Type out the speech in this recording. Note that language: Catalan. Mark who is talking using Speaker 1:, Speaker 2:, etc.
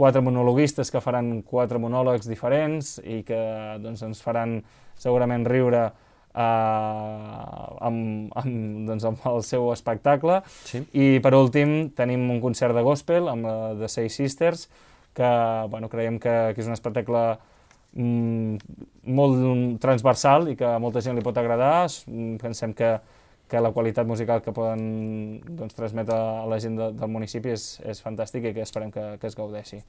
Speaker 1: 4 monologuistes que faran 4 monòlegs diferents i que doncs, ens faran segurament riure amb el seu espectacle.
Speaker 2: Sí.
Speaker 1: I per últim tenim un concert de gospel amb The Six Sisters, que creiem que és un espectacle molt transversal i que a molta gent li pot agradar. Pensem que la qualitat musical que poden transmetre a la gent del municipi és fantàstica i que esperem que es gaudeixi.